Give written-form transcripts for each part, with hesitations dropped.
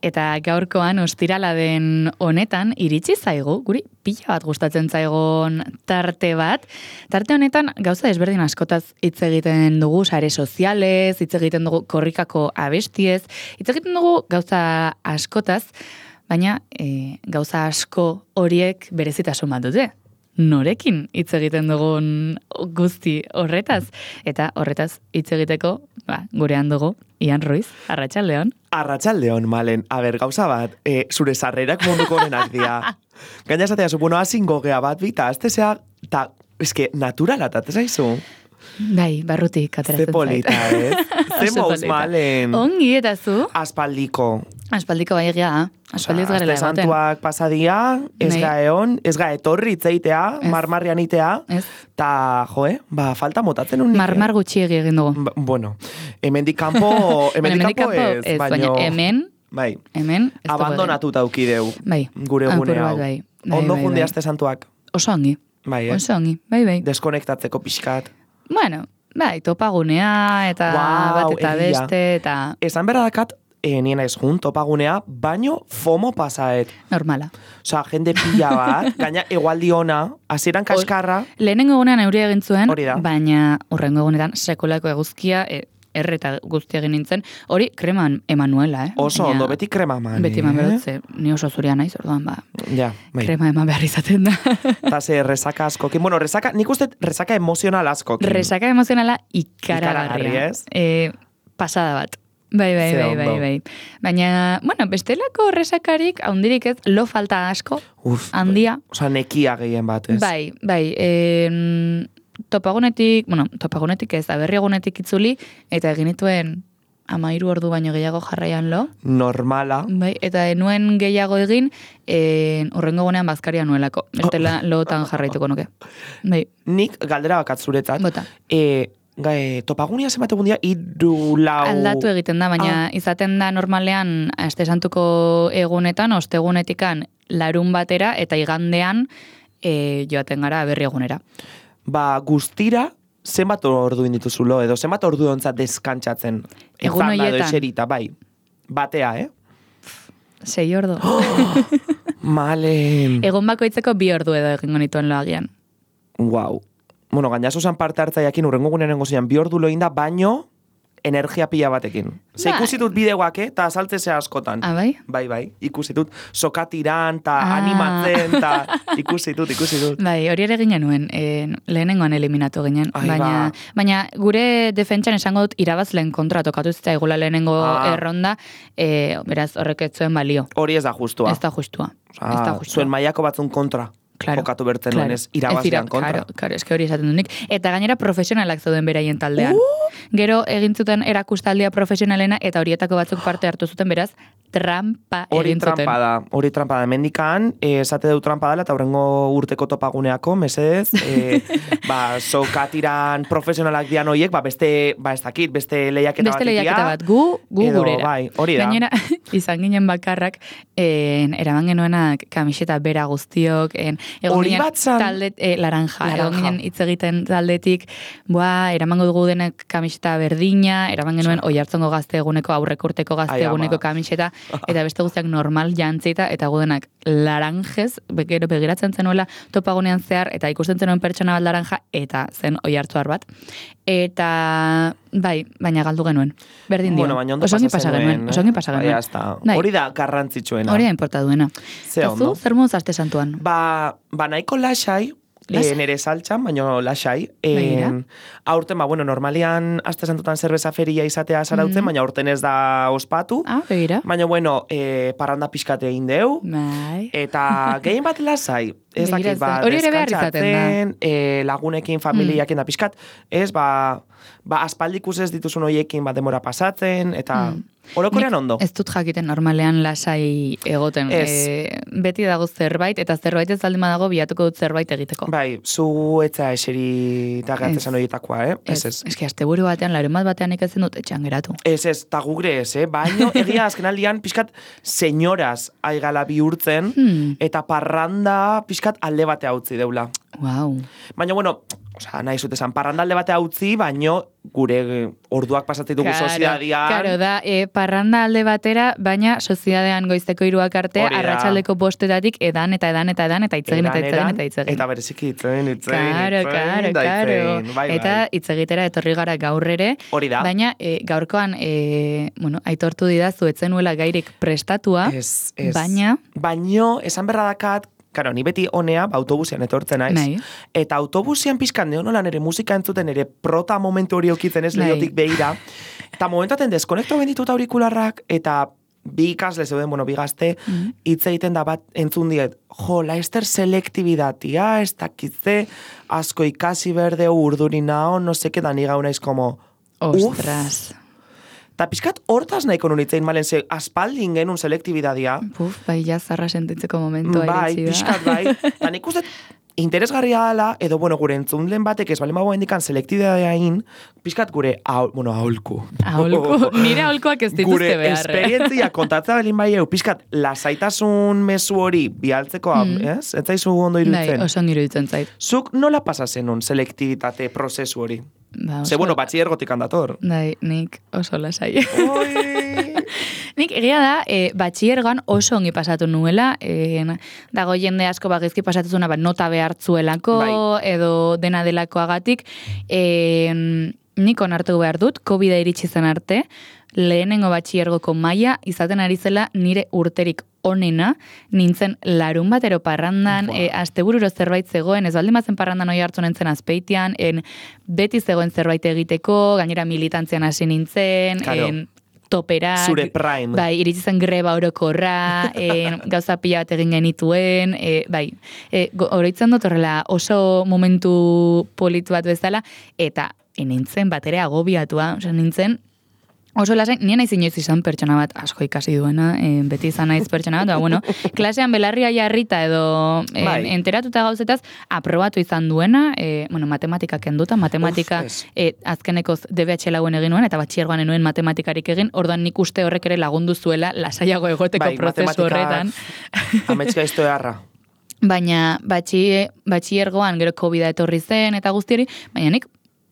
eta gaurkoan ostirala den honetan iritsi zaigu, guri pila bat gustatzen zaigon tarte bat. Tarte honetan gauza desberdin askotaz hitz egiten dugu sare sozialez, hitz egiten dugu korrikako abestiez, hitz egiten dugu gauza askotaz, baina gauza asko horiek berezitasun bat dute. Norekin hitz egiten dugun guzti horretaz. Eta horretaz hitz egiteko, gurean dugu, Ian Ruiz, arratsaldeon. Arratsaldeon, Malen. A ber, gauza bat, zure sarrerak munduko honenak dira. Gaina esatea zu, azingo gea bat bita, aztezea, eta, eske, naturala, eta zaizu? Bai, barrutik ateratzen zait. Ze polita, Ze mouz, Malen. Ongi, eta zu? Aspaldiko. Aspaldiko bai egia, aspaldi ez garela egoten. Santuak pasadia, ez gaeon, ez ga etorri itzeitea, marmarrian itea, eta, falta motatzen un. Marmar gutxiegi egin dugu. Bueno, hemendik kanpo ez, baina hemen, bai, hemen, abandonatuta aukideu, bai, gure gune hau. Bai. Ondo jundiazte santuak. Oso ongi. Bai, Oso ongi, bai. Deskonektatzeko pixkat. Bueno, bai, topagunea, eta bat eta beste, eta... Esan berra dakat, nien ez jun, topagunea, baino FOMO pasaet. Normala. Osa, jende pila bat, gaina egualdi ona, hasieran kaskarra. Lehenengo egunean euria egin zuen, Hori da. baina urrengo egunetan sekulako eguzkia, erreta guztia egin nintzen, hori kreman emanuela, Oso ondo, beti krema eman. Beti eman berotze, ni oso zuria naiz, orduan, ja, bai. Krema eman behar izaten da. Eta ze resaka askokin. Bueno, nik uste resaka emozional askokin. Resaka emozionala ikaragarria. Pasada bat. Bai. Baina, bueno, bestelako resakarik, haundirik ez, lo falta asko, handia. Osa, nekia gehien bat, ez? Bai. Topagunetik ez, aberriagunetik itzuli, eta egin dituen 13 ordu baino gehiago jarraian lo. Normala. Bai, eta nuen gehiago egin, urrengo gunean bazkaria nuelako. Bestela lootan jarraituko nuke. Bai. Nik galdera bakat zuretzat. Bota. Topagunia zenbat egun dira, 3-4... Aldatu egiten da, baina izaten da normalean, aste santuko egunetan, ostegunetikan larun batera, eta igandean joaten gara aberri egunera. Guztira, zenbat ordu indituzulo, edo zenbat ordu ontzat deskantzatzen. Egun horietan. Eserita, bai. Batea, 6 ordu. Malen. Egun bakoitzeko 2 ordu edo egingo nituen loagian. Wow. Bueno, gaina zuzan parte hartzaiakin urrengo gunean gozian 2 ordu loinda, baino energia pila batekin. Ze ikusitut bideoak, eta azaltzezea askotan. Bai? Bai. Ikusitut sokatiran, eta animatzen, eta ikusitut. Bai, hori ere ginen nuen, lehenengoan eliminatu ginen. Baina gure defentsan esango dut irabazleen kontra tokatu zitzaigula lehenengo erronda, beraz horrek ez zuen balio. Hori ez da justua. Ez da justua. Zuen mailako batzun kontra. Jokatu bertzen nuen ez, irabazlean kontra. Claro, eske hori esaten dunik. Eta gainera profesionalak zauden beraien taldean. Gero egin zuten erakustaldia profesionalena, eta horietako batzuk parte hartu zuten, beraz, trampa egin zuten. Hori trampa da. Mendikan, esate dut trampa dela, eta horrengo urteko topaguneako, mesedez, sokatiran profesionalak dian horiek, beste lehiaketa bat, gu gurera. Bai, hori da. Gainera, izan ginen bakarrak, eraman genuenak kamiseta bera guztiok, hori bat zan? Laranja. Egon ginen hitz egiten taldetik, eramango dugu denek kamiseta berdina, eraman genuen oihartzungo gazte eguneko, aurrekurteko gazte eguneko kamiseta, eta beste guztiak normal jantzita, eta gudenak laranjez, gero begiratzen zenuela topagunean zehar, eta ikusten zenuen pertsona bat laranja, eta zen oihartzuar bat. Eta, bai, baina galdu genuen. Berdin dio. Bueno, baina ondo pasa genuen. Hori da garrantzitsuena. Hori da importa duena. Ze ondo. Zer moduz aste santuan? Nahiko lasai, nere saltxan, baina lasai. Aurten, normalian aste santutan zerbeza feria izatea zarautzen, baina aurten ez da ospatu. Begira. Baina, parranda pixkate egin deu. Eta gehien bat lasai. Ez dakit, hori ere behar izaten da. Lagunekin, familiakin da pixkat. Ez, aspaldikus ez dituzun hoiekin demora pasatzen, eta orokorean ondo. Ez dut jakiten normalean lasai egoten. Beti dago zerbait, eta zerbait ez aldima dago bilatuko dut zerbait egiteko. Bai, zu etza eseri eta gertzen horietakoa, Ez. Ez ki, asteburu batean, larun batean ikatzen dut etxean geratu. Ez, ta gugre ez, baino egia azkenaldian pixkat senyoraz aigala bihurtzen, eta parranda pixkat alde batea utzi deula. Wow. Baina, nahi zutezan, parrandalde batea utzi, baino gure orduak pasatzen dugu soziadian. Claro, da, parranda alde batera, baina soziadean goizteko 3 arte, arratsaldeko 5 eta itzegin. Eta bereziki itzegin. Bai. Eta itzegitera etorri gara gaur ere. Hori da. Baina gaurkoan, aitortu didazu, etzenuela gairik prestatua, baina... Baino, esan berra dakat, Karo, ni beti honea, autobusian etortzen naiz. Nahi. Eta autobusian pizkan neonola nere musika entzuten, nere prota momentu hori okitzen ez lehiotik behira. Eta momentaten deskonekto benditut aurikularrak, eta bi ikasle zeuden, bi gazte, hitz egiten da bat entzun diet, Laester selektibidatia, ez dakitze, asko ikasi berde urdurina, no seke, da ni gauna como, ostras. Eta pixkat hortaz nahiko nunitzein malen, aspaldin genuen selektibidadia. Bai, jazarra sentitzeko momentua bai, iritsi da. Pixkat bai. Eta nik uste interesgarria dela, edo, gure entzunlen batek ez balen bagoen dikan selektibidadiain, pixkat gure, aholku. Nire aholkuak ez dituzte behar. Gure esperientzia kontatzea belin bai pixkat lasaitasun mezu hori bialtzeko, ez? Ez zaizu ondo iruditzen? Bai, oso iruditzen zait. Zuk nola pasa zenun selektibitate prozesu hori? Ze, batxiergotik handator. Bai, nik oso lasai. Nik egia da, batxiergoan oso ongi pasatu nuela, dago jende asko bagizki pasatuzuna, nota behartzuelako, edo dena delakoagatik, nik onartu behar dut, COVID-a iritsi zen arte, lehenengo batxiergoko maila izaten ari zela nire urterik onena, nintzen larun batero parrandan, astebururo zerbait zegoen, ez baldin bazen parrandan oi hartu nintzen azpeitian, beti zegoen zerbait egiteko, gainera militantzian hasi nintzen, toperak, zure prime. Bai, iritsi zen greba orokorra, gauza pila bat egin genituen, oroitzen dut horrela oso momentu politu bat bezala, eta nintzen bat ere agobiatua, nintzen, oso lasai, nien naiz inoiz izan pertsona bat asko ikasi duena, beti izan naiz pertsona bat, klasean belarria jarrita edo enteratuta gauzetaz, aprobatu izan duena, matematika kenduta, matematika azkenekoz DBH lauen egin nuen, eta batxiergoan enuen matematikarik egin, orduan nik uste horrek ere lagundu zuela lasaiago egoteko prozesu horretan. Ametska izto eharra. Baina batxiergoan gero COVID-a etorri zen eta guztiari, baina nik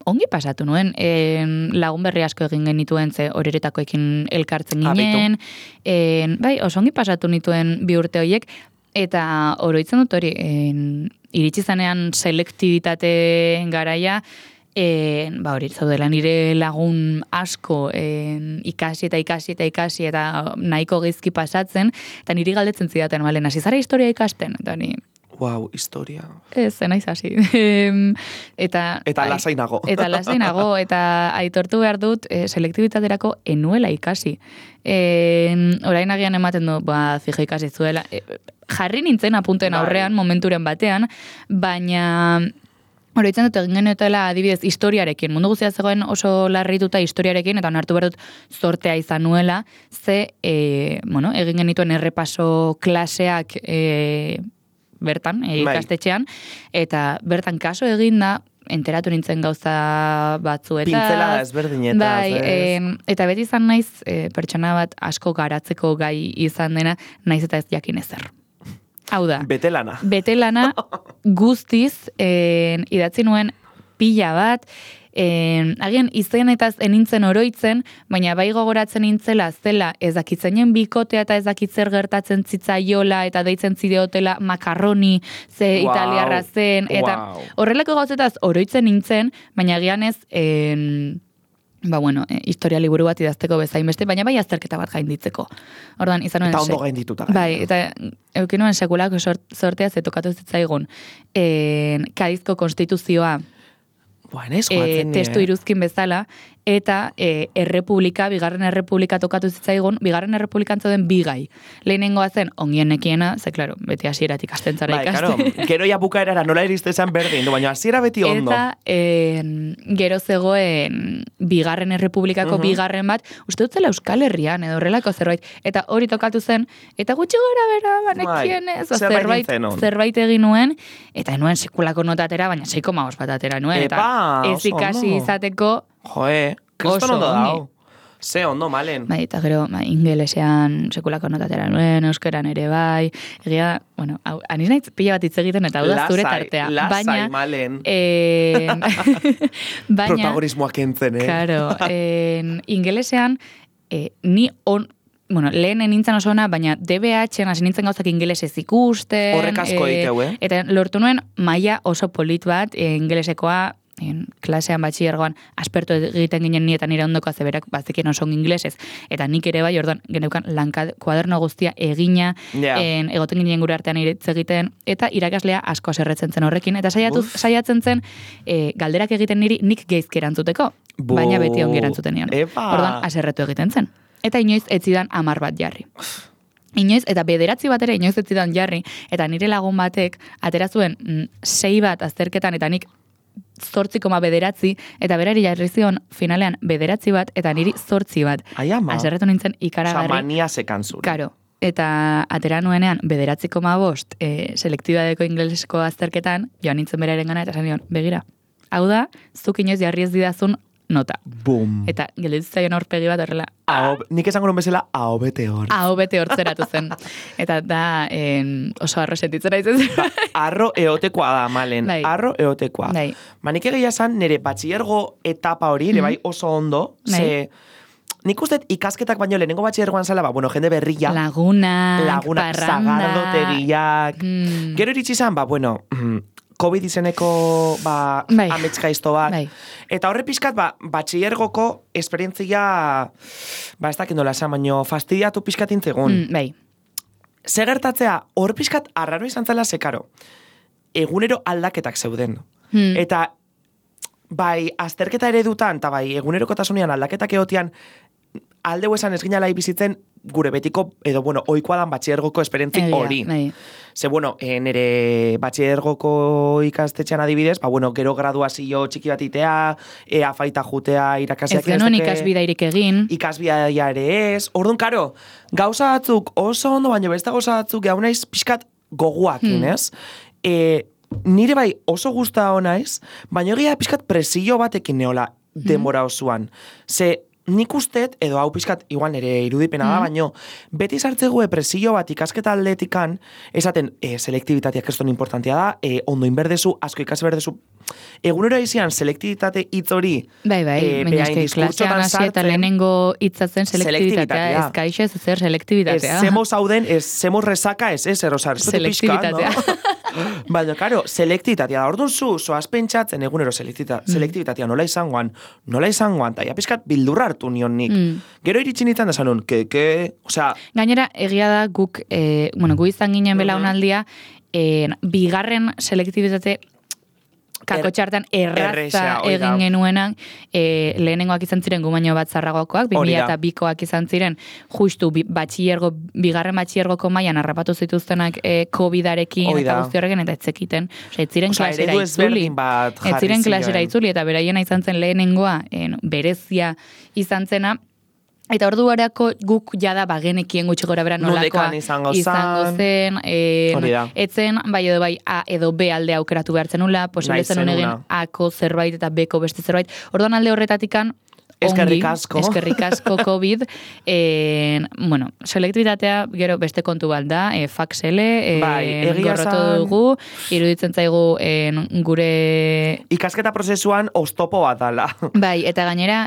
ongi pasatu nuen, lagun berri asko egin genituen, ze horretakoekin elkartzen ginen, oso ongi pasatu nituen 2 urte horiek, eta oroitzen dut hori, iritsi zanean selektibitate garaia, hori zaudela nire lagun asko ikasi eta nahiko gizki pasatzen, eta niri galdetzen zidaten, hasi zara historia ikasten, eta ni... Wow, historia. Ez, naiz hasi. Eta lasainago. Eta aitortu behar dut, selektibitaterako enuela ikasi. Orain agian ematen du, fija ikasi zuela. Jarri nintzen apunten aurrean, momenturen batean, baina... Oroitzen dut egin genuetela adibidez historiarekin. Mundu guztia zegoen oso larrituta historiarekin, eta onartu behar dut zortea izan nuela, ze, egin genituen errepaso klaseak bertan, ikastetxean, eta bertan kaso egin da, enteratu nintzen gauza batzuetaz. Pintzelada ezberdinetaz. Bai, eta beti izan naiz, pertsona bat asko garatzeko gai izan dena, naiz eta ez jakin ezer. Hau da. Betelana guztiz idatzi nuen pila bat, agian izenetaz enintzen oroitzen, baina bai gogoratzen nintzela zela ezakitzenen bikotea eta ezakitzer gertatzen zitzaiola eta deitzen zideotela makarroni ze italiarra zen, eta horrelako gauzetaz oroitzen nintzen, baina agian ez... historia liburu bat idazteko bezain beste, baina bai azterketa bat gainditzeko. Ordan, izan nuen... Eta ondo gaindituta. Bai, eta eukin nuen sekulako sortea zetokatu zitzaigun Kadizko konstituzioa testu iruzkin bezala, eta bigarren errepublika tokatu zitzaigun, bigarren errepublikan zauden bigai. Lehenengoa zen, ongien nekiena, ze, klaro, beti hasieratik astentzara ikaste. Bai, gero ja bukaerara nola iriste zen berdin, baina hasiera beti ondo. Eta gero zegoen bigarren errepublikako bigarren bat, uste dut zela Euskal Herrian, edo horrelako zerbait, eta hori tokatu zen, eta gutxi gora bera, banekien ez, zerbait egin nuen, eta enuen sekulako notatera, baina 6,5 bat atera nuen, eta ez ikasi izateko kriston ondo dago. Ze ondo, malen. Bai, eta gero, ingelesean sekulako notatera nuen, euskeran ere bai, egia, bueno, aniz naiz pila bat hitz egiten, eta hau da zure tartea. Lasai, malen. Baina, protagonismoak entzen, Claro, ingelesean, ni bueno, lehen nintzen oso ona, baina DBH-en hasi nintzen gauzak ingelesez ikusten. Horrek asko egiteu, Eta lortu nuen maila oso polit bat, ingelesekoa, klasean batxillergoan aspertu egiten ginen ni eta nire ondoko azeberak bazekien oso ingelesez. Eta nik ere bai, orduan, geneukan kuaderno guztia egina, egoten ginen gure artean hitz egiten, eta irakaslea asko aserretzen zen horrekin. Eta saiatzen zen, galderak egiten niri nik geizki erantzuteko, baina beti ongi erantzuten nion. Orduan, aserretu egiten zen. Eta inoiz ez zidan 10 bat jarri. Inoiz, eta 9 bat ere inoiz ez zidan jarri, eta nire lagun batek atera zuen 6 bat azterketan, eta nik 8,9, eta berari jarri zion finalean 9 bat, eta niri 8 bat. Ai, ama. Aserretu nintzen ikaragarri. Mania sekan zure. Karo. Eta atera nuenean 9,5 selektibadeko ingelesko azterketan, joan nintzen beraren gana, eta esan nion, begira, hau da, zuk inoiz jarri ez didazun nota. Bum. Eta gelditzaion horpegi bat horrela. Nik esango nuen bezala, aho bete hor. Aho bete hortzeratu zen. Eta da, oso arro sentitzen aizen. Arro eotekoa da, malen. Bai. Arro eotekoa. Bai. Nik egia esan, nire batxillergo etapa hori, ere bai oso ondo, ze... Nik uste ikasketak baino lehenengo batxillergoan zala, bueno, jende berria. Lagunak, parranda. Zagardotegiak. Gero iritsi zan, bueno... COVID izeneko amets gaizto bat. Bai. Eta horre pixkat, batxillergoko esperientzia, ez dakit nola esan, baino fastidiatu pixkat intzegun. Bai. Ze gertatzea, hor pixkat arraro izan zela sekaro. Egunero aldaketak zeuden. Eta, bai, azterketa eredutan, eta bai, egunerokotasunean aldaketak egotian, aldeu esan ez ginala bizitzen gure betiko, edo, oikoa dan batxillergoko esperientzi hori. Ze, nire batxillergoko ikastetxean adibidez, gero graduazio txiki bat itea, afaita jutea irakasiak. Ez genuen ikasbidairik egin. Ikasbidaia ere ez. Orduan, karo, gauza batzuk oso ondo, baina beste gauza batzuk gau naiz pixkat goguakin, ez? Nire bai oso guzta honaiz, baina egia pixkat presio batekin neola denbora osoan. Ze, nik ustet, edo hau pixkat, igual nire irudipena da, baino, beti sartzegue presio bat ikasketa aldetikan, esaten, selektibitatea keston importantia da, ondo inberdezu, asko ikasi berdezu, egunero izian selektibitate hitz hori, baina klasean hasi eta lehenengo hitzatzen selektibitatea, ez kaixez zer selektibitatea. Zemo zauden, zemo resaka ez, erosar, selektibitatea. Baina, karo, selektibitatea da, orduan zoaz pentsatzen egunero selektibitatea nola izangoan, eta ja pixkat bildurra hartu nion nik. Gero iritsi nintzen da zanun, osea... Gainera, egia da guk, gu izan ginen belaunaldia, bigarren selektibitate kakotxartan erraza egin genuenan, lehenengoak izan ziren gu baino bat zarragokoak, 2002koak izan ziren, justu bigarren batxillergoko mailan harrapatu zituztenak COVID-arekin eta guzti horrekin, eta etzekiten. Ez ziren klasera itzuli, eta beraiena izan zen lehenengoa, berezia izan zena, eta ordu barako guk jada bagenekien gutxi gora bera nolakoa izango zen, etzen bai edo bai A edo B alde aukeratu behartzen nula, posible zen unegen A-ko zerbait eta B-ko beste zerbait. Orduan alde horretatikan, eskerrik asko COVID, selektibitatea gero beste kontu bat da, faxele, gorrotu dugu, iruditzen zaigu gure... Ikasketa prozesuan oztopo bat dala. Bai, eta gainera,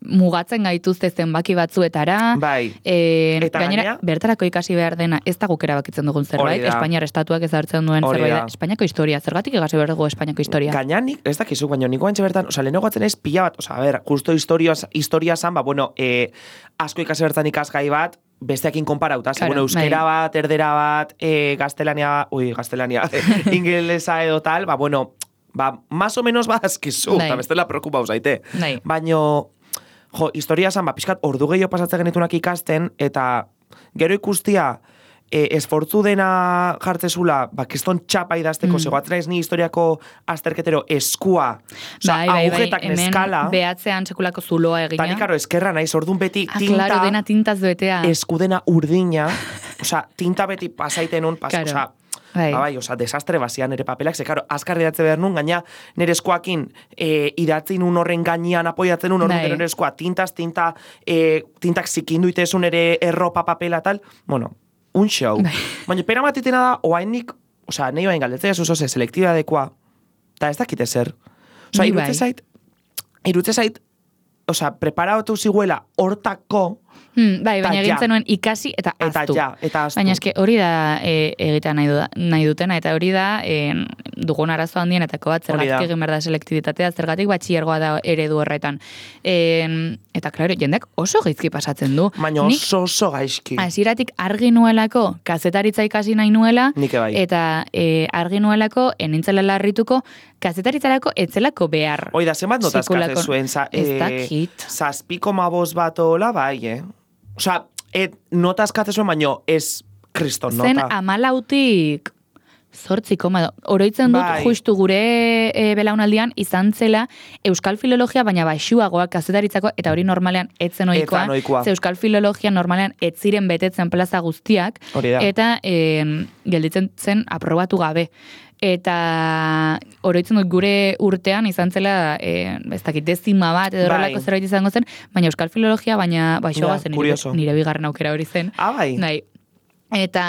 mugatzen gaituzte zenbaki batzuetara. Bai. Eta gainera, bertarako ikasi behar dena, ez da guk erabakitzen dugun zerbait, Espainiar estatuak ez hartzen duen zerbait da. Espainiako historia, zergatik egasi behar dugu Espainiako historia? Gaina nik, ez dakizu, baina niko antxe bertan, lehenengo gatzen ez pila bat, justo historia zan, asko ikasi bertan ikasgai bat, besteakin konparauta, euskera bat, erdera bat, gaztelania, ingelesa edo tal, más o menos bazkizu, eta bestela preokupau zaite. Baina, historia zan, pixkat ordu gehiago pasatzen genitunak ikasten, eta gero ikustia, esfortzu dena jartzezula, kiston txapa idazteko, zegoatzen ez ni historiako azterketero eskua, agujetak neskala. Behatzean sekulako zuloa egina. Tani, karo, eskerra naiz, orduan beti tinta, claro, dena tintaz duetea. eskudena urdina, tinta beti pasaiten un, oza, desastre bazian nire papelak, ze, karo, azkar idatze behar nun, gaina nire eskoakin idatzi nun horren gainean apoiatzen nun, horren nire eskoa tintak zikindu itezun ere erropa papela tal, bueno, un show. Baina pena matitena da, oainik, oza, nahi oain galdetzea zuzoze, selektibadekoa, eta ez dakite zer. Oza, irutze zait, oza, preparatu ziguela hortako, baina egin zenuen ikasi eta aztu. Baina eske hori da egitea nahi dutena, eta hori da dugun arazo handienetako bat, zergatik egin behar da selektibitatea, zergatik batxillergoa da eredu horretan. Eta, klaro, jendeak oso gaizki pasatzen du. Baina oso gaizki. Hasieratik argi nuelako, kazetaritza ikasi nahi nuela, eta argi nuelako, enintzela larrituko, kazetaritzarako etzelako behar. Oida, zenbat notazkate zuen, zazpiko maboz bat ola, bai, Osa, notazkate zuen, baino ez kriston nota. Zen 14 8, oroitzen dut justu gure belaunaldian izan zela euskal filologia, baina baxuagoak kazetaritzako, eta hori normalean etzen ohikoa. Ze euskal filologia normalean ez ziren betetzen plaza guztiak, eta gelditzen zen aprobatu gabe. Eta oroitzen dut gure urtean izan zela, ez dakit, dezima bat edo horrelako zerbait izango zen, baina euskal filologia, baina baxuagoa zen nire bigarren aukera hori zen. Bai. Eta,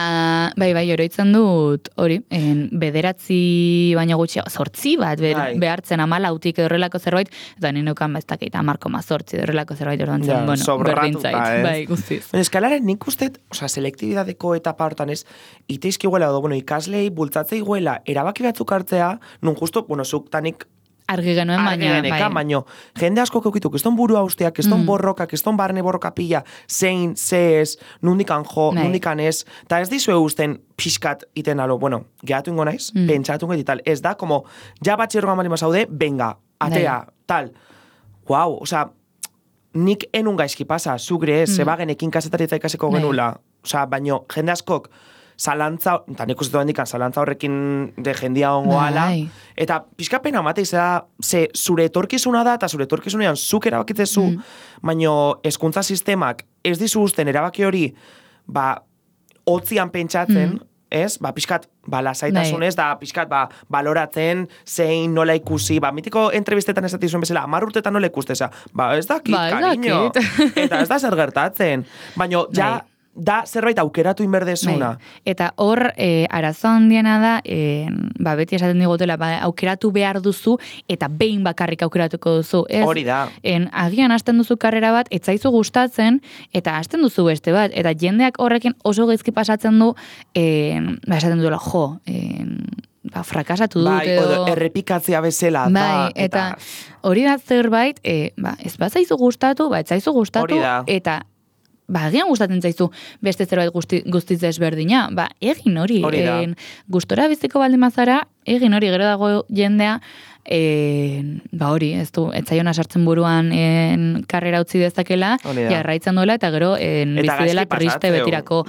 bai, oroitzen dut, hori, bederatzi baina gutxi, 8 bat behartzen 14 horrelako zerbait, eta nire neukan bestakit, 10,8 horrelako zerbait ordan zen, bueno, berdintzait, bai, guztiz. Eskalaren nik ustet, oza, selektibidadeko etapa hortan ez, iteizki guela, ikaslei, bultzatzei guela, erabaki batzuk hartzea, nun justo, zuk tanik, argi genuen, baina jende asko keukitu, keston burua usteak, keston borroka, keston barne borroka pila, zein, ez, nundikan jo, nundikan ez, eta ez dizue usten pixkat iten alo, gehatu ingo naiz, pentsatu ingo tal, ez da, como, ja batxerroa malima zaude, venga, atea, tal, guau, oza, nik enun gaizki pasa, zugre ez, zebagenekin kasetaritza ikasiko genula, oza, baino, jende askok, zalantza, eta nik uste hendikan, zalantza horrekin de jendia ongo ala, eta pixka pena mate ze zure etorkizuna da, eta zure etorkizunean zuk erabakitzezu, baino hezkuntza sistemak ez dizu usten erabaki hori, hotzian pentsatzen, ez, pixkat, lasaitasunez, da pixkat, baloratzen, zein nola ikusi, mitiko entrevistetan ez datizuen bezala, 10 urtetan nola ikusteza, ez dakit, cariño, eta ez da zer gertatzen, baino, da zerbait aukeratu inberdezuna. Eta hor, arazo handiena da, beti esaten digotela, aukeratu behar duzu, eta behin bakarrik aukeratuko duzu. Hori da. Agian hasten duzu karrera bat, etzaizu gustatzen, eta hasten duzu beste bat, eta jendeak horrekin oso gaizki pasatzen du, esaten duela, frakasatu dut edo... errepikatzea bezala da. Eta hori da zerbait, ez bazaizu gustatu, etzaizu gustatu, eta agian gustatzen zaizu beste zerbait guztiz desberdina, egin hori. Gustora biziko baldin bazara, egin hori, gero dago jendea, hori, ez du, etzaiona sartzen buruan karrera utzi dezakela, jarraitzen duela, eta gero bizi dela triste betirako.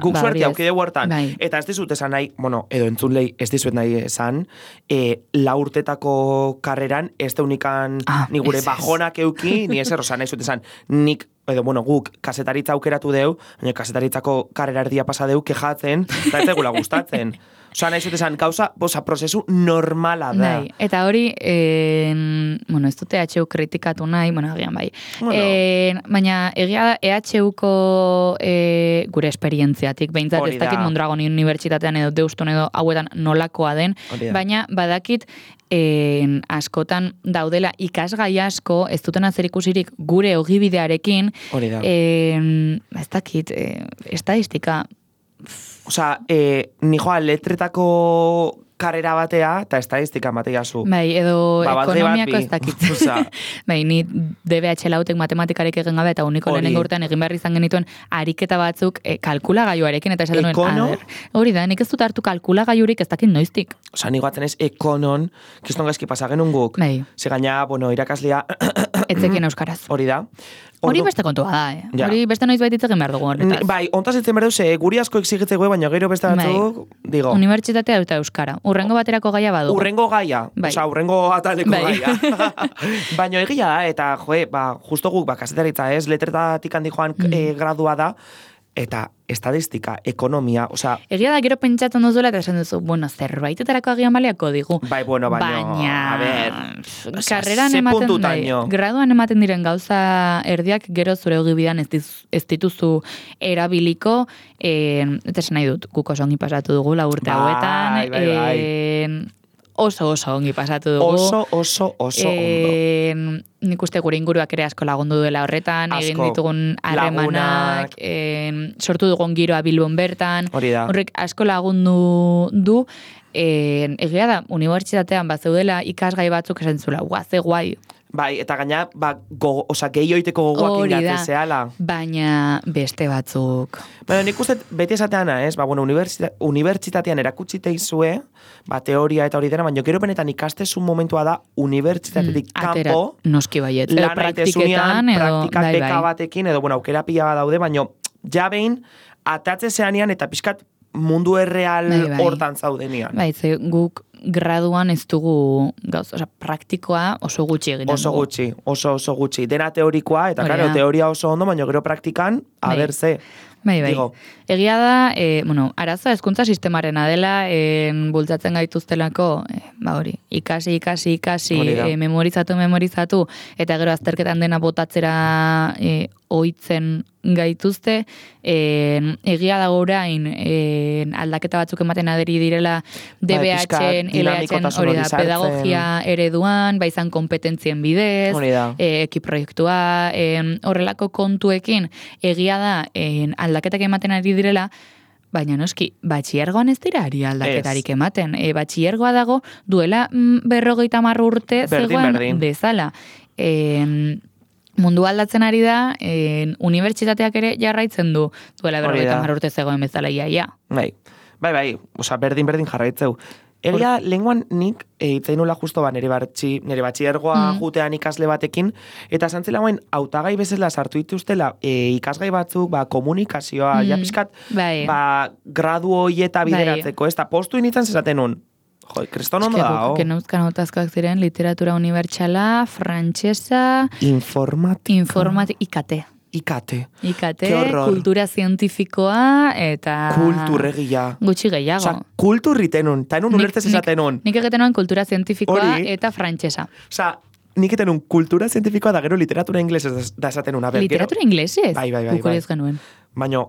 Guk suerti haukide huertan. Eta ez dizut esan nahi, edo entzunlei ez dizuet nahi esan, 4 urtetako karreran, ez da unikan ni gure bajonak euki, ni ezer, nahi zut esan, nik edo, guk kasetaritza aukeratu deu, baina kasetaritzako karrera erdia pasa deu, kejatzen, eta ez egula gustatzen. Nahi zut esan, gauza, prozesu normala da. Eta hori, ez dute EHU kritikatu nahi, agian bai. Baina, egia da, EHUko gure esperientziatik, behintzat ez dakit Mondragon unibertsitatean edo deustun edo hauetan nolakoa den, baina badakit askotan daudela ikasgai asko, ez duten azerikusirik gure ogibidearekin, ez dakit, estadistika, nijoa letretako karrera batea, eta estadistika batea zu. Edo ekonomiako ez dakit. Ni DBH lautek matematikarik egin gabe, eta uniko lehenengo urtean egin behar izan genituen ariketa batzuk kalkulagailuarekin, eta esaten nuen, hori da, nik ez dut hartu kalkulagailurik ez dakit noiztik. Nik batzen ez, ekonon, kiston gaizki pasagenun guk, ze gaina, irakaslea... Etzekin euskaraz. Hori da. Hori beste kontua da, Hori beste noiz baititzen behar dugu horretaz. Ontaz etzen behar duze, guri asko exigitzeko, baina gero beste batzuk, digo. Unibertsitatea eta euskara. Urrengo baterako gaia badugu. Urrengo gaia. Urrengo ataleko gaia. Baina egia da, eta justo guk, kasetaritza ez, letretatik handi joan gradua da, eta estadistika, ekonomia, osea... Egia da, gero pentsatzen duzuela, eta esan duzu, bueno, zerbaitetarako agian baliako digu. Bai, bueno, baina, a ver... Karreran ematen, graduan ematen diren gauza erdiak, gero zure ogibidan ez dituzu erabiliko, eta esan nahi dut, guk oso ongi pasatu dugu, urte hauetan, oso ongi pasatu dugu. Oso ondo. Nik uste gure inguruak ere asko lagundu duela horretan, egin ditugun harremanak, sortu dugun giroa Bilbon bertan, horrek asko lagundu du, egia da, unibertsitatean bat zeudela ikasgai batzuk esan zula, ze guai. Bai, eta gaina, gehioiteko gogoak indatzen zehala. Baina beste batzuk. Baina nik uste beti esateana, ez? Unibertsitatean erakutsi teizue, teoria eta hori dena, baina gero benetan ikastezun momentua da unibertsitatetik kanpo, noski baiet, lan praktiketan, praktikak beka batekin, edo, aukera pila bat daude, baina ja behin, atatze zeanian eta pixkat mundu erreal hortan zaudenian. Bai, ze guk graduan ez dugu praktikoa oso gutxi egin dugu. Oso gutxi. Dena teorikoa, eta claro, teoria oso ondo, baina gero praktikan, ze. Bai. Egia da, arazoa hezkuntza sistemarena dela, bultzatzen gaituztelako, ikasi, memorizatu, eta gero azterketan dena botatzera ohitzen gaituzte, egia da orain aldaketa batzuk ematen aderi direla DBH-en, LH-en, hori da, pedagogia ereduan, izan kompetentzien bidez, ekiproiektua, horrelako kontuekin, egia da, aldaketak ematen ari direla, baina noski, batxiergoan ez dira ari aldaketarik ematen. Batxiergoa dago, duela 50 urte zegoen bezala. Mundu aldatzen ari da, unibertsitateak ere jarraitzen du, duela 50 urte zegoen bezala iaia. Bai, berdin jarraitzeu. Egia, lenguan nik, itzein nula justo nire batxiergoa jutean ikasle batekin, eta zantzela guen, hautagai bezala sartu dituztela ikasgai batzuk, komunikazioa, japiskat, gradu hoieta bideratzeko, ez da postu initzen zezaten nun. Kriston ondo da, que neuzkan hautazkoak ziren, literatura unibertsala, frantsesa, IKT. IKT, kultura zientifikoa, eta... Kulturregia. Gutxi gehiago. Kulturritenun, eta enun ulertzez esatenun. Nik egetenun kultura zientifikoa eta frantsesa. Nik etenun kultura zientifikoa da gero literatura inglesez da esatenun. Literatura inglesez? Bai. Gukuri ez genuen. Baina,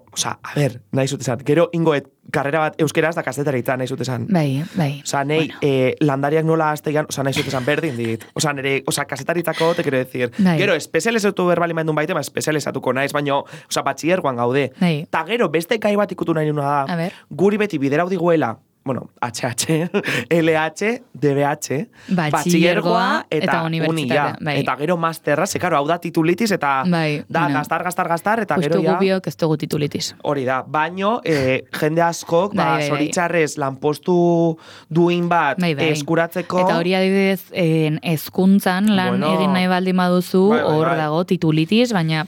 nahi zutezan, gero ingoet karrera bat euskeraz da kazetaritzan nahi zutezan. Bai. Landariak nola azteian, nahi zutezan berdin dit. Kazetaritzako, te quiero decir. Gero, espezializatu berbalimaendun baite, espezializatuko naiz, baina, batxiergoan gaude. Ta gero, beste kai bat ikutu nahi nuna da, guri beti biderau diguela, HH, LH, DBH, batxillergoa eta unia. Eta gero masterra, karo, hau da titulitis eta da gastar, eta gero ja... Justu gubiok ez dugu titulitis. Hori da, baino, jende askok, zoritxarrez, lanpostu duin bat eskuratzeko... Eta hori adibidez, hezkuntzan lan egin nahi baldin baduzu, hor dago titulitis, baina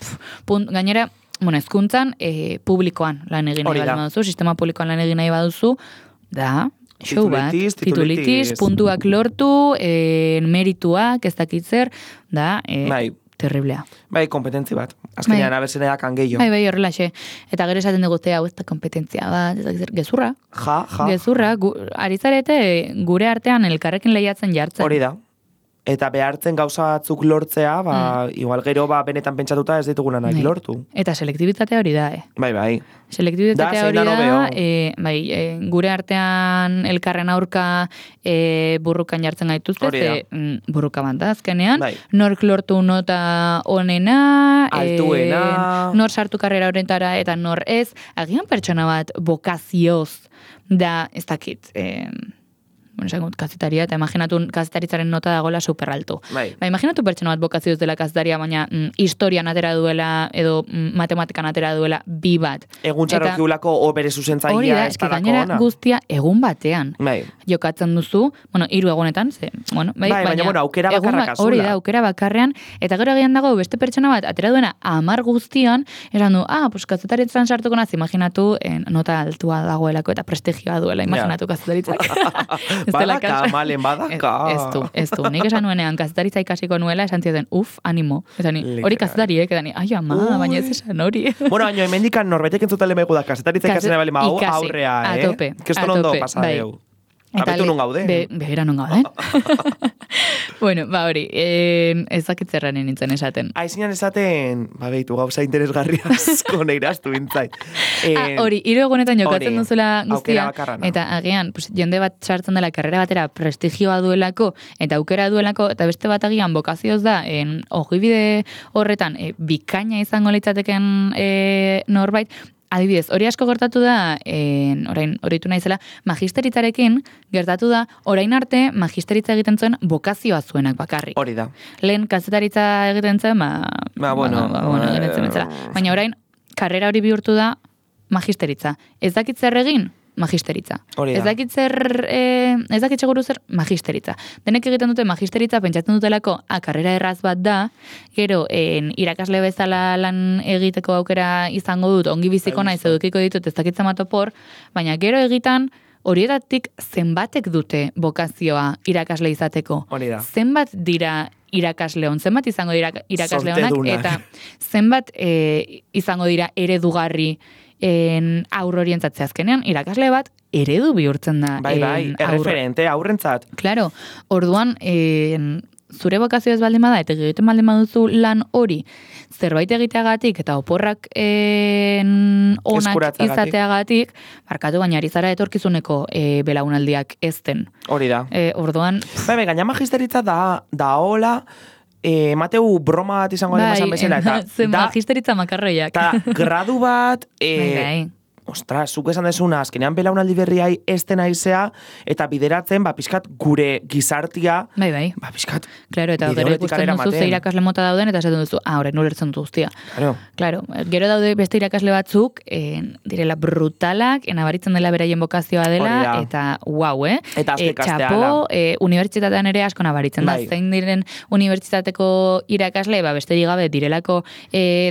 gainera... hezkuntzan publikoan lan egin nahi baldin baduzu, sistema publikoan lan egin nahi baduzu, da, show bat, titulitis, puntuak lortu, merituak, ez dakitzer, da, terriblea. Bai, kompetentzi bat. Azkenean, abertzen edakan gehiago. Bai, horrelaxe. Eta gero esaten dugute, hau ez da kompetentzia bat, ez dakitzer, gezurra. Gezurra, arizarete gure artean elkarrekin lehiatzen jartzen. Hori da. Eta behartzen gauza batzuk lortzea, igual gero benetan pentsatuta ez dituguna nahi lortu. Eta selektibitatea hori da, Bai. Selektibitatea hori da, gure artean elkarren aurka burrukan jartzen gaituzte, burruka bat da, azkenean, nork lortu nota onena, altuena, nor sartu karrera horretara, eta nor ez, agian pertsona bat bokazioz da, ez dakit, kazetaria, eta imaginatu kazetaritzaren nota dagoela superaltu. Imaginatu pertsona bat bokazioz dela kazetaria, baina historian atera duela, edo matematikan atera duela, bi bat. Egun txarrokiulako opere zuzentzaia. Hori da, eski gainera guztia egun batean. Jokatzen duzu, 3 egunetan, baina aukera bakarrak azula. Hori da, aukera bakarrean, eta gero agian dago beste pertsona bat atera duena 10 guztian, esan du, kazetaritzan sartuko naz, imaginatu nota altua dagoelako eta prestigioa duela, imaginatu kazetaritzak. Badaka, malen, badaka. Ez du. Nik esan nuenean, kazetaritza ikasiko nuela, esan zioten, ánimo. Hori kazetariek, edani, ai ama, baina ez esan hori. Bueno, baina hemendikan norbaitek entzutele megu da, kazetaritza ikasen bali mau aurrea, a tope. Keston ondo pasadeu. Abetu nun gaude. Behera nun gaude. Bueno, hori, ezakitzerranen nintzen esaten. Aizinan esaten, behitu gauza interesgarria asko neiraztu bintzait. Hori, 3 egunetan jokatzen duzula guztia, eta agian, jende bat sartzen dela karrera batera prestigioa duelako, eta aukera duelako, eta beste bat agian bokazioz da, ogibide horretan, bikaina izango litzateken norbait, adibidez, hori asko gertatu da, orain, horitu naizela, magisteritzarekin gertatu da, orain arte magisteritza egiten zuen bokazioa zuenak bakarrik. Hori da. Lehen kazetaritza egiten zen, egiten zen betzela. Baina orain, karrera hori bihurtu da magisteritza. Ez dakit zer egin? Magisteritza. Ez dakit seguru zer magisteritza. Denek egiten dute magisteritza, pentsatzen dutelako, karrera erraz bat da, gero, irakasle bezala lan egiteko aukera izango dut, ongi biziko naiz edukiko ditut, ez dakit zamatopor, baina gero egitan, horietatik zenbatek dute bokazioa irakasle izateko. Zenbat dira irakasleon, zenbat izango dira irakasleonak, eta zenbat izango dira eredugarri aurrorientzatzea azkenean, irakasle bat eredu bihurtzen da. Bai, erreferente, aurrentzat. Claro, orduan, zure bokazio ez baldin bada, eta egiten baldin baduzu lan hori, zerbait egiteagatik, eta oporrak onak izateagatik, barkatu baina ari zara etorkizuneko belaunaldiak ezten. Hori da. Orduan... Bai, gaina magisteritza da hola, Mateu broma bat izango esan bezala. Zen magisteritza makarroiak. Eta gradu bat, ostras, zuk esan desuna, azkenean belaunaldi berriai ezten aizea, eta bideratzen, pixkat, gure gizartia, pixkat, claro, eta gero ikusten duzu ze irakasle mota dauden, eta esaten duzu, horrein ulertzen du guztia. Claro, gero daude beste irakasle batzuk, direla brutalak, nabaritzen dela beraien bokazioa dela, eta wow, Eta txapo, unibertsitatean ere asko nabaritzen da, zein diren unibertsitateko irakasle, beste digabe, direlako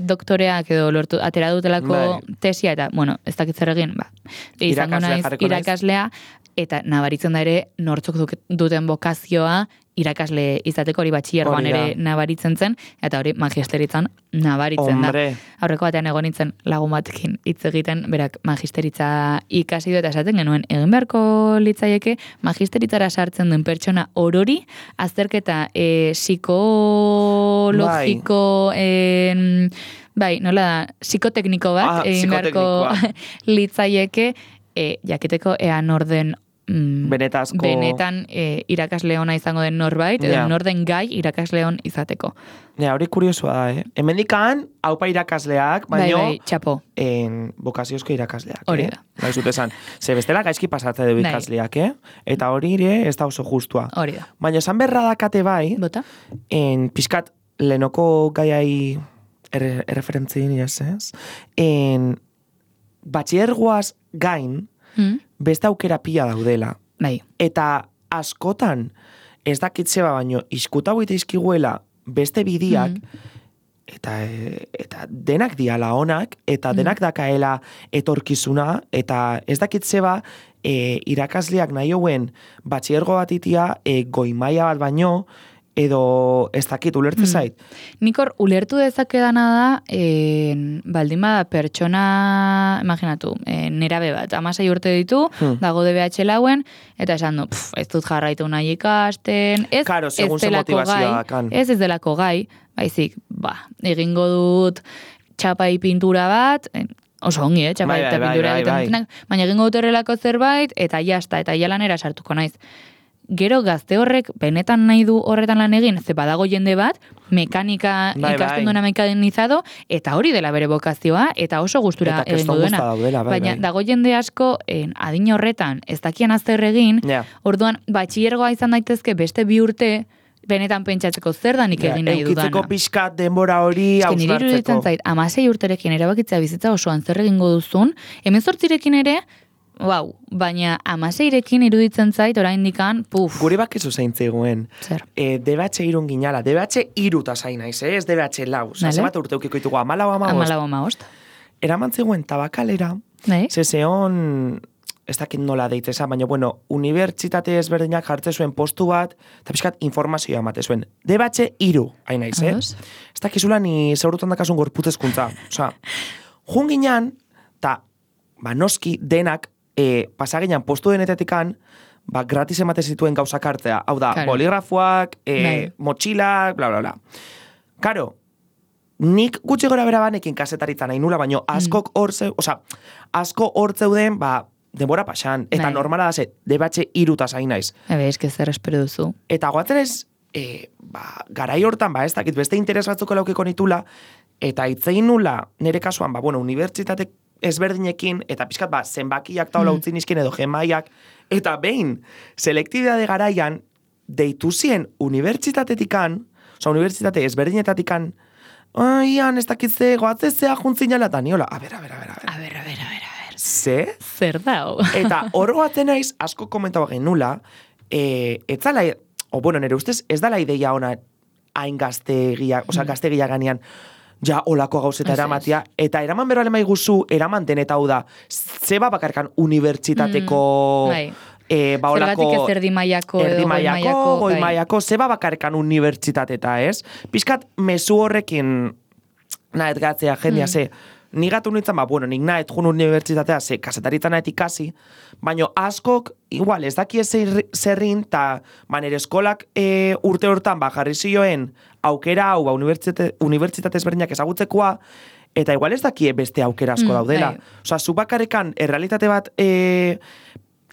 doktoreak edo lortu, atera dutelako tesia, eta, bueno, ez zer egin, izango naiz irakaslea, eta nabaritzen da ere nortzuk duten bokazioa irakasle izateko hori batxillergoan ere nabaritzen zen, eta hori magisteritzan nabaritzen da. Aurreko batean egon nintzen lagun batekin hitz egiten, berak magisteritza ikasi du eta esaten genuen, egin beharko litzaieke magisteritzara sartzen duen pertsona orori, azterketa psikologiko nola da, psikotekniko bat, egin beharko litzaieke, jakiteko ean orden benetan irakasle ona izango den norbait, edo norden gai irakasle on izateko. Hori kuriosua da, Hemendikan, haupa irakasleak, baino, txapo. Bokaziozko irakasleak. Hori da. Bai, zut esan. Ze bestela gaizki pasatze du ikasleak, Eta hori ere, ez da oso justua. Hori da. Baina esan berra dakate bai, pixkat, lehenoko gaiai erreferentzien, ez? Batxiergoaz gain, beste aukera pila daudela. Eta askotan, ez dakitzeba baino, izkuta hoite izkiguela beste bidiak, eta denak diala onak, eta denak dakaela etorkizuna, eta ez dakitzeba irakasleak nahi hoen batxiergo bat itia goimaia bat baino, edo ez dakit, ulertze zait? Nikor, ulertu dezakedana da, baldin bada pertsona, imaginatu, nerabe bat, 16 urte ditu, dago DBH lauen, eta esan du, ez dut jarraitu nahi ikasten, ez delako gai, baizik, egingo dut txapai pintura bat, oso ongi, txapai eta pintura egiten, baina egingo dut horrelako zerbait, eta jasta, eta jalanera sartuko naiz. Gero gazte horrek benetan nahi du horretan lan egin, ze badago jende bat, mekanika ikasten duena mekanizado, eta hori dela bere bokazioa, eta oso gustura egingo duena. Baina dago jende asko, adin horretan, ez dakian azter egin, orduan, batxillergoa izan daitezke beste 2 urte, benetan pentsatzeko zer da nik egin nahi dudana. Eukitzeko pixkat denbora hori hausnartzeko. Nire iruditzen zait, 16 urterekin erabakitzea bizitza osoan zer egingo duzun, 18rekin ere, baina 16rekin iruditzen zait, orain dikan, Guri bakizu zein zegoen. Zer? DBH irun ginala. DBH iruta zain naiz, ez DBH lau. Zemat urte eukiko ditugu, 14, 15. Eraman zegoen tabakalera, zezeon ez dakit nola deitzeza, baina, bueno, unibertsitate ezberdinak jartze zuen postu bat, eta pixkat informazioa emate zuen. Debatxe 3, hain naiz, Ez dakizula ni zeurutan dakasun gorputezkuntza. Osa, junginan, eta, noski, denak, pasaginan postu denetetikan, gratis emate zituen gauzak hartzea. Hau da, boligrafoak, motxilak, bla, bla, bla. Karo, nik gutxi gora bera banekin kasetaritza nahi nula, baina asko hor zeuden, denbora pasan, eta normala da ze, debatxe 3 zain naiz. Ez que zer espero duzu. Eta guatzen ez, garai hortan, ez dakit, beste interes batzuko laukiko nitula, eta itzein nula, nire kasuan, unibertsitate ezberdinekin, eta pixkat, zenbakiak taula utzi nizkin edo gemaiak, eta behin, selektibidade garaian, deitu zien unibertsitatetikan, unibertsitate ezberdinetatikan, ian, ez dakitze, goatzezea juntzinala, eta niola, a ber. Ze? Zer dao? Eta horroatzen naiz, asko komentaba genula, etzala, nire ustez, ez dala ideia ona hain gaztegia, gaztegia ganean, ja, olako gauzeta eramatia, eta eraman berra lema iguzu, eraman den, eta hau da, zeba bakarkan unibertsitateko, zergatik ez erdimaiako, goi-maiako, zeba bakarkan unibertsitateta, ez? Piskat, mezu horrekin, nahet gatzea, jendia, ze, nigatu nintzen, nik nahet jun unibertsitatea, ze, kasetaritzen nahet ikasi, baina askok, igual, ez daki ez zerrin, eta nire eskolak urte hortan, jarri zioen, aukera hau, unibertsitate ezberdinak ezagutzekoa, eta igual ez daki beste aukera asko daudela. Osa, zu bakarekan, errealitate bat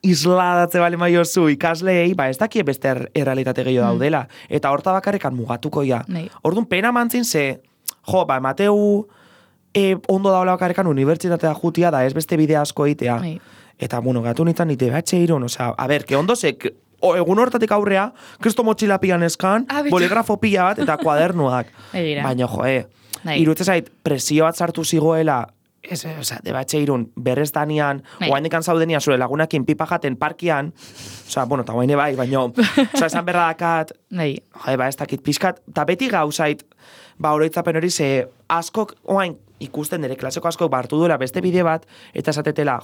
isladatze bale maiozu ikasleei, ez daki beste errealitate gehiago daudela. Eta horta bakarekan mugatuko ja. Orduan, pena mantzin ze, emateu ondo daula bakarekan unibertsitatea jutia da, ez beste bide asko eitea. Eta, gatu nintzen nite batxe iron, que ondo ze, egun hortatik aurrea, kristo motxila pian eskan, boligrafo pila bat, eta kuadernuak. Baina, irutzen zait, presio bat sartu zigoela, debatxe irun, berrez danian, oaindikan zaudenia zure lagunakin pipa jaten parkian, eta oaine bai, baina, esan berra dakat, ez dakit pixkat, eta beti gauzait, oroitzapen hori ze, askok, oain, ikusten dere, klaseko askok hartu duela beste bide bat, eta esatetela,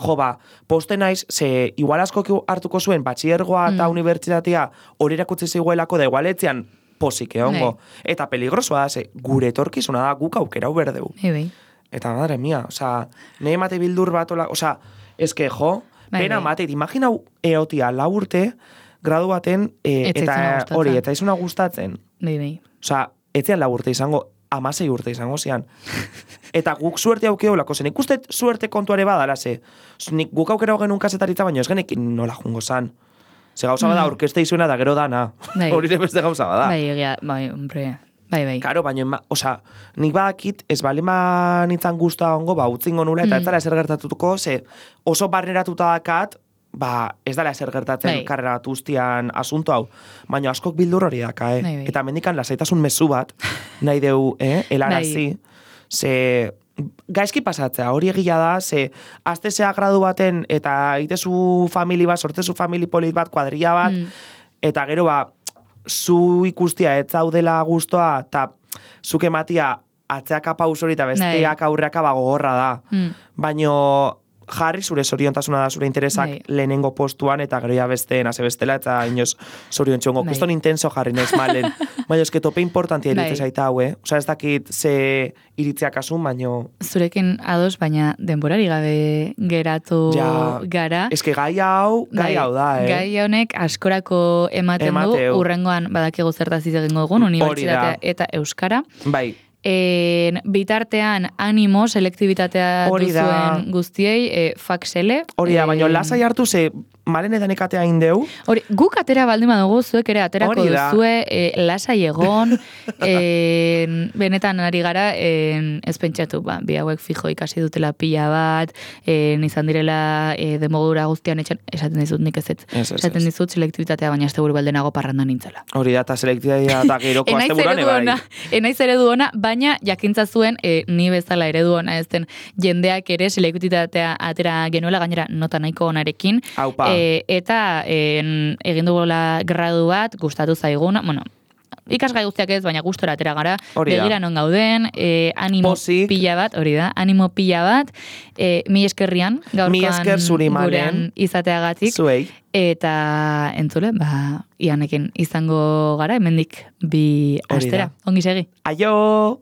poste naiz, ze igual askok hartuko zuen, batxiergoa eta unibertsitatea hori erakutsi ziguelako, da igualetzean posik egongo. Eta peligrosoa da, ze, gure etorkizuna da, guk aukera uberdeu. Eta, madre mia, nahi emate bildur bat, eske, pena mateit, imaginau eotia 4 urte, gradu baten, eta hori, eta izuna gustatzen. Etzean 4 urte izango, 16 urte izango zian. Eta guk suerte aukeo lako zen. Ikustet suerte kontuare badala, ze. Guk aukera hogen kasetaritza, baina ez genek nola jungo zan. Ze gauza bada, orkeste izuena da gero dana. Hori beste gauza bada. Bai. Karo, baina, nik badakit, ez bale nintzen guztua ongo, utzingo nula, eta ez dara ezer gertatutuko, ze oso barneratuta dakat, ez dala ezer gertatzen karrera bat guztian asunto hau. Baina askok bildur hori daka, Eta mendikan lasaitasun mezu bat, nahi deu, helarazi, ze gaizki pasatzea, hori egia da, ze aztezea gradu baten, eta itezu famili bat, sortzezu famili polit bat, kuadrilla bat, eta gero zu ikustia ez zaudela guztua, eta zuke matia atzeaka paus hori eta besteak aurreaka gogorra da. Baina jarri zure zoriontasuna da zure interesak lehenengo postuan, eta gero ja besteen, haze bestela, eta inoz zorion txongo. Kuston intenso jarri naiz malen. Baina eske tope importantia iritze zaita hau, ez dakit ze iritzeak asun, baina... Zurekin ados, baina denborari gabe geratu gara. Eske gai hau da, Gai honek askorako ematen du, urrengoan badakigu zertaz egingo dugun, unibertsitatea eta euskara. Bai. Bitartean animo, selektibitatea duzuen guztiei, faksele. Hori da, baina lasai hartu ze malen edan ekatea indeu. Hori, guk atera baldin badugu, zuek ere aterako duzue, lasai egon, benetan ari gara, ez pentsatu, bi hauek fijo ikasi dutela pila bat, izan direla demodura guztian esaten dizut nik ez. Esaten dizut selektibitatea, baina azte buru baldenago parrandan nintzela. Hori da, eta selektibitatea eta geroko azte buruan ebai. Enaiz eredu ona, baina jakintza zuen, ni bezala eredu ona ezten jendeak ere selektibitatea atera genuela, gainera nota nahiko onarekin. Aupa. Eta egin dugula gradu bat, gustatu zaiguna, ikasgai guztiak ez, baina gustora atera gara, Hori da. begira non gauden, animo Pozik. pila bat, hori da, animo pila bat, mi eskerrian, Mi esker zuri, gaurkoan Malen. gurean izateagatik, Zuei. eta entzule, Ianekin izango gara, hemendik bi Hori da. astera. Ongi segi. Aio!